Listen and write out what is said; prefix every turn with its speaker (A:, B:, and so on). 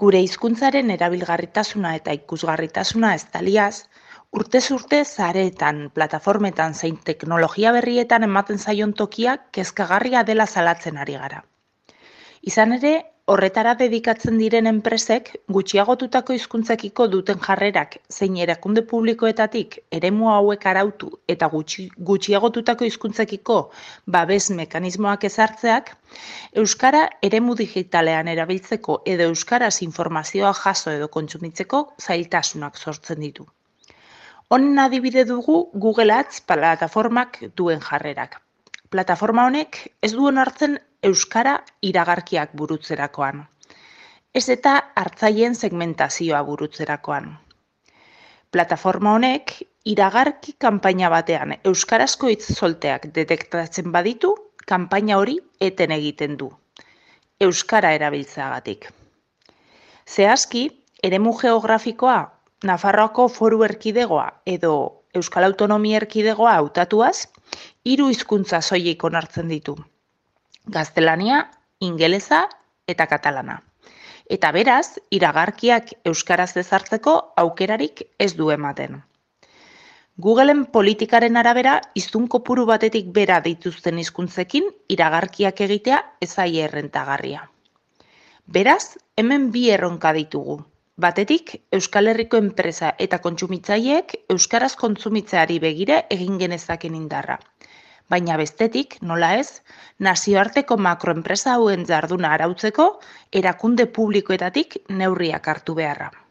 A: Gure hizkuntzaren erabilgarritasuna eta ikusgarritasuna estaliaz, urtez urte sareetan, plataformetan zein teknologia berrietan ematen zaion tokia kezkagarria dela salatzen ari gara. Izan ere, horretara dedikatzen diren enpresek gutxiagotutako hizkuntzekiko duten jarrerak zein erakunde publikoetatik eremu hauek arautu eta gutxiagotutako hizkuntzekiko babes mekanismoak ezartzeak, euskara eremu digitalean erabiltzeko edo euskaraz informazioa jaso edo kontsumitzeko zailtasunak sortzen ditu. Honen adibide dugu Google Ads plataformak duen jarrerak. Plataforma honek ez du onartzen euskara iragarkiak burutzerakoan. Ez eta hartzaileen segmentazioa burutzerakoan. Plataforma honek iragarki kanpaina batean euskarazko hitz solteak detektatzen baditu, kanpaina hori eten egiten du. Euskara erabiltzeagatik. Zehazki, eremu geografikoa, Nafarroako Foru Erkidegoa edo Euskal Autonomia Erkidegoa hautatuaz, 3 hizkuntza soilik onartzen ditu. Gaztelania, ingelesa eta katalana. Eta beraz, iragarkiak euskaraz ezartzeko aukerarik ez du ematen. Googleen politikaren arabera, hiztun kopuru batetik bera dituzten hizkuntzekin iragarkiak egitea ez zaie errentagarria. Beraz, hemen 2 erronka ditugu. Batetik, Euskal Herriko enpresa eta kontsumitzaileek euskaraz kontsumitzeari begira egin genezaken indarra. Baina bestetik, nola ez, nazioarteko makroenpresa hauen jarduna arautzeko erakunde publikoetatik neurriak hartu beharra.